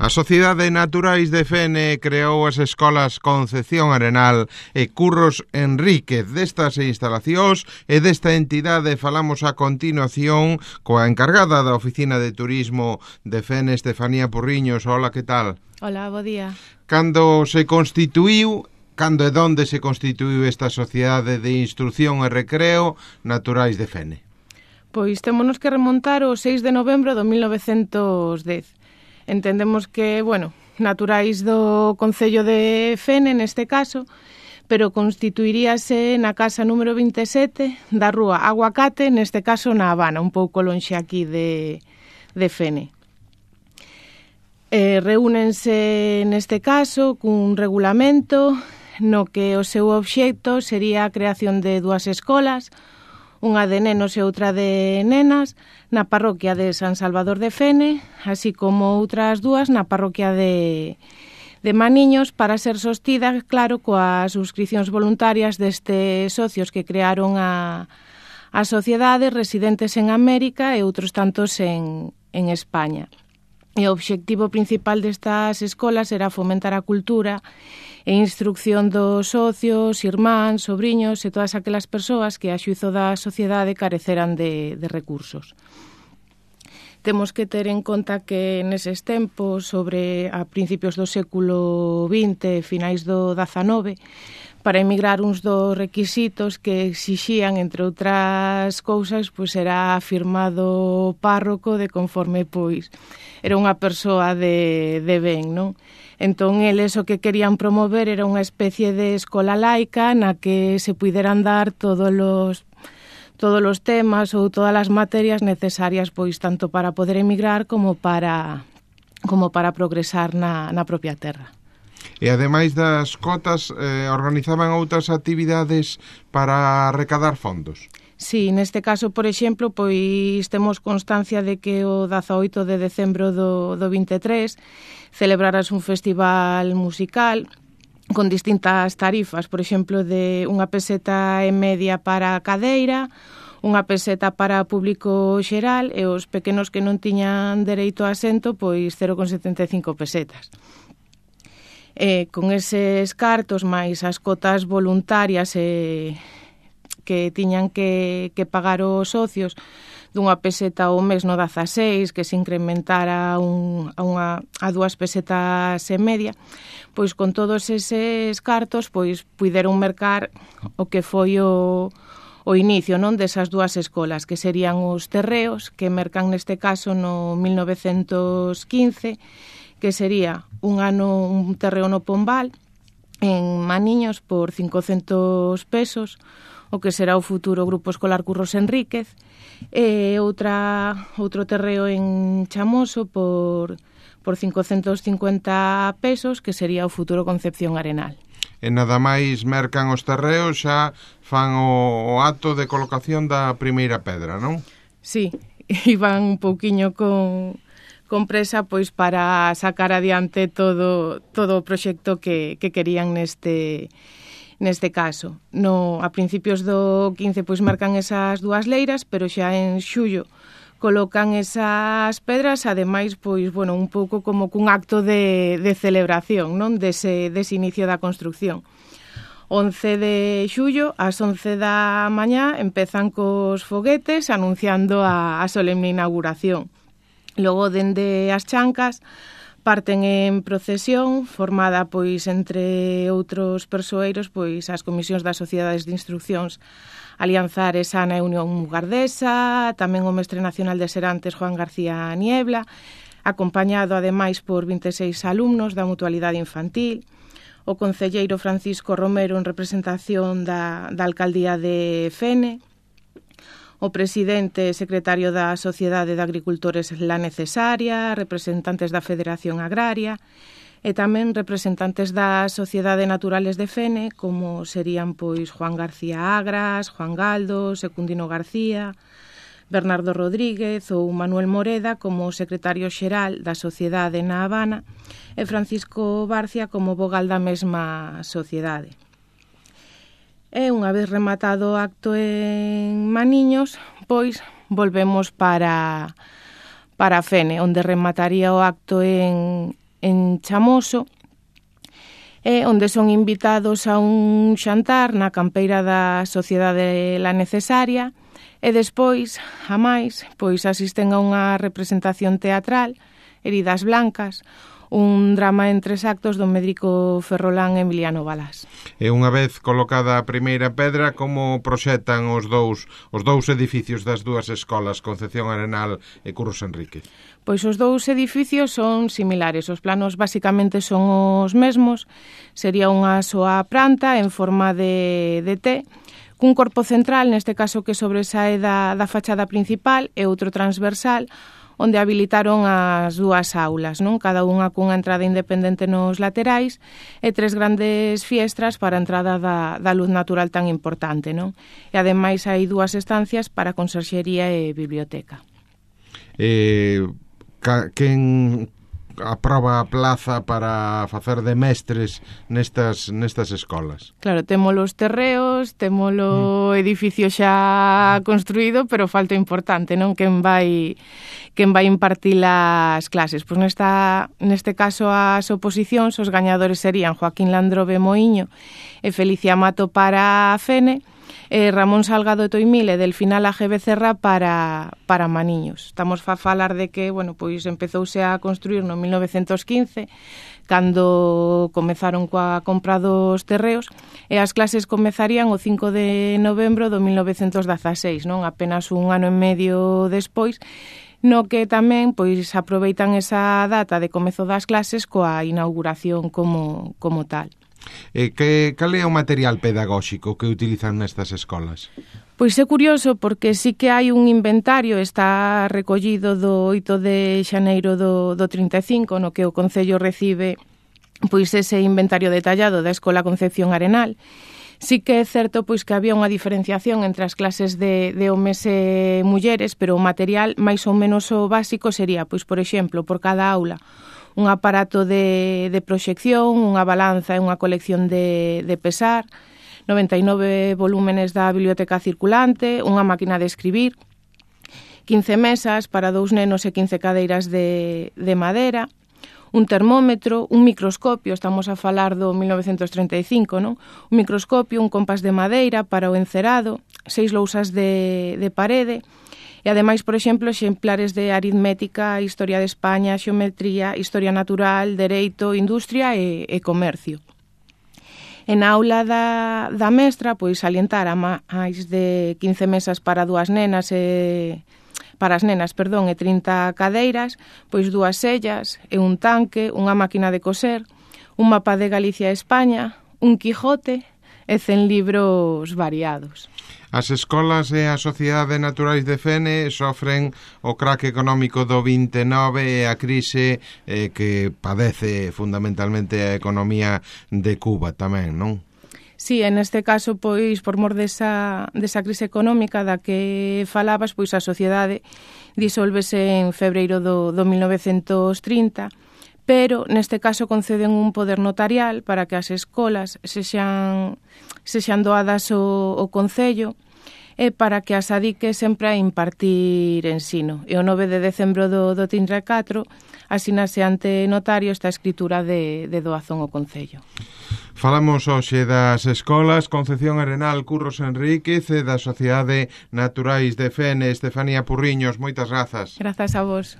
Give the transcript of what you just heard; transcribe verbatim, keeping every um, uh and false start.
A Sociedade Naturais de Fene creou as escolas Concepción Arenal e Curros Enríquez. Destas instalacións e desta entidade falamos a continuación coa encargada da Oficina de Turismo de Fene, Estefanía Porriños. Hola, que tal? Hola, bo día. Cando se constituíu, cando e donde se constituíu esta Sociedade de Instrucción e Recreo Naturais de Fene? Pois témonos que remontar o seis de novembro do mil novecentos dez. Entendemos que, bueno, naturais do Concello de Fene, neste caso, pero constituiríase na casa número vinte e sete da rúa Aguacate, neste caso na Habana, un pouco lonxe aquí de, de Fene. Eh, reúnense neste caso cun regulamento no que o seu obxecto sería a creación de dúas escolas, unha de nenos e outra de nenas, na parroquia de San Salvador de Fene, así como outras dúas na parroquia de, de Maniños, para ser sostida, claro, coas suscripcións voluntarias destes socios que crearon a, a sociedade, residentes en América e outros tantos en, en España. E o obxectivo principal destas escolas era fomentar a cultura e instrucción dos socios, irmáns, sobriños e todas aquelas persoas que a xuízo da sociedade careceran de, de recursos. Temos que ter en conta que neses tempos, sobre a principios do século vinte, finais do dezanove, para emigrar uns dos requisitos que exixían, entre outras cousas, pois era firmado párroco de conforme, pois, era unha persoa de, de ben, non? Entón, eles o que querían promover era unha especie de escola laica na que se puideran dar todos os todos os temas ou todas as materias necesarias, pois, tanto para poder emigrar como para como para progresar na, na propia terra. E ademais das cotas, eh, organizaban outras actividades para recadar fondos? Sí, neste caso, por exemplo, pois temos constancia de que o dezaoito de decembro do, do vinte e tres celebraras un festival musical con distintas tarifas, por exemplo, de unha peseta e media para a cadeira, unha peseta para público xeral e os pequenos que non tiñan dereito a asento, pois cero con setenta e cinco pesetas. E con eses cartos máis as cotas voluntarias e que tiñan que, que pagar os socios dunha peseta ao mes no dezaseis, que se incrementara un, a, unha, a dúas pesetas e media, pois con todos eses cartos pois puideron mercar o que foi o, o inicio, non, desas dúas escolas, que serían os terreos, que mercan neste caso no mil novecentos quince, que sería un ano un terreo no Pombal, en Maniños, por cincocentos pesos, o que será o futuro Grupo Escolar Curros Enríquez, e outra outro terreo en Chamoso por, por cincocentos cincuenta pesos, que sería o futuro Concepción Arenal. E nada máis mercan os terreos, xa fan o, o acto de colocación da primeira pedra, non? Sí, iban un pouquiño con, con presa, pois, para sacar adiante todo, todo o proxecto que, que querían neste... Neste caso, no, a principios do quince pois marcan esas dúas leiras, pero xa en xullo colocan esas pedras, ademais, pois, bueno, un pouco como cun acto de, de celebración, non, dese, dese inicio da construcción. once de xullo, ás once da mañá, empezan cos foguetes anunciando a, a solemne inauguración. Logo, dende as chancas, parten en procesión, formada pois entre outros persoeiros, pois as comisións das sociedades de instruccións Alianzares, Ana e Unión Mugardesa, tamén o mestre nacional de Serantes, Juan García Niebla, acompañado ademais por vinte e seis alumnos da Mutualidade Infantil, o concelleiro Francisco Romero en representación da, da Alcaldía de Fene, o presidente e secretario da Sociedade de Agricultores La Necesaria, representantes da Federación Agraria e tamén representantes da Sociedade Naturales de Fene, como serían pois Juan García Agras, Juan Galdo, Secundino García, Bernardo Rodríguez ou Manuel Moreda como secretario xeral da Sociedade na Habana e Francisco Barcia como vogal da mesma sociedade. E unha vez rematado o acto en Maniños, pois volvemos para, para Fene, onde remataría o acto en, en Chamoso, e onde son invitados a un xantar na campeira da Sociedade La Necesaria, e despois, a máis, pois asisten a unha representación teatral, Heridas Blancas, un drama en tres actos do médico ferrolán Emiliano Balás. E unha vez colocada a primeira pedra, como proxectan os dous os dous edificios das dúas escolas, Concepción Arenal e Curros Enríquez? Pois os dous edificios son similares, os planos basicamente son os mesmos, sería unha soa planta en forma de, de T, cun corpo central, neste caso que sobresae da, da fachada principal, e outro transversal, onde habilitaron as dúas aulas, non? Cada unha cunha entrada independente nos laterais e tres grandes fiestras para a entrada da, da luz natural tan importante, non? E ademais hai dúas estancias para conserxería e biblioteca. Eh, ca, quen aproba a plaza para facer de mestres nestas nestas escolas? Claro, temos os terreos, temos o mm. edificio xa construído, pero falta importante, non? Quen vai quen vai impartir as clases. Pois nesta neste caso as oposicións, os gañadores serían Joaquín Landrobe Moiño e Felicia Mato para a Fene, e Ramón Salgado Toimil e Delfina Laje Becerra para, para Maniños. Estamos a falar de que, bueno, pois empezouse a construir no mil novecentos quince, cando comezaron coa compra dos terreos, e as clases comezarían o cinco de novembro do mil novecentos dezaseis, non? Apenas un ano e medio despois, no que tamén pois aproveitan esa data de comezo das clases coa inauguración como, como tal. E que, cal é o material pedagóxico que utilizan nestas escolas? Pois é curioso porque sí que hai un inventario, está recollido do oito de xaneiro do, do trinta e cinco, no que o Concello recibe pois ese inventario detallado da Escola Concepción Arenal. Sí que é certo pois que había unha diferenciación entre as clases de, de homes e mulleres, pero o material máis ou menos o básico sería, pois por exemplo, por cada aula, un aparato de, de proxección, unha balanza e unha colección de, de pesar, noventa e nove volúmenes da biblioteca circulante, unha máquina de escribir, quince mesas para dous nenos e quince cadeiras de, de madera, un termómetro, un microscopio, estamos a falar do mil novecentos treinta e cinco, non? Un microscopio, un compás de madeira para o encerado, seis lousas de, de parede, e ademais, por exemplo, exemplares de aritmética, historia de España, xeometría, historia natural, dereito, industria e, e comercio. En a aula da, da mestra, pois salientar a máis de quince mesas para dúas nenas e para as nenas, perdón, e trinta cadeiras, pois dúas sellas e un tanque, unha máquina de coser, un mapa de Galicia e España, un Quijote e cen libros variados. As escolas e a Sociedade Naturais de Fene sofren o craque económico do vinte e nove e a crise eh, que padece fundamentalmente a economía de Cuba tamén, non? Sí, en este caso, pois, por mor desa, desa crise económica da que falabas, pois a sociedade disolvese en febreiro do, do mil novecentos trinta, pero neste caso conceden un poder notarial para que as escolas sexan, sexan doadas ao, ao Concello e para que as adique sempre a impartir ensino. E o nove de decembro do, do trinta e catro asínase ante notario esta escritura de, de doazón ao Concello. Falamos hoxe das escolas Concepción Arenal, Curros Enríquez e da Sociedade Naturais de Fene. Estefanía Purriños, moitas grazas. Grazas a vos.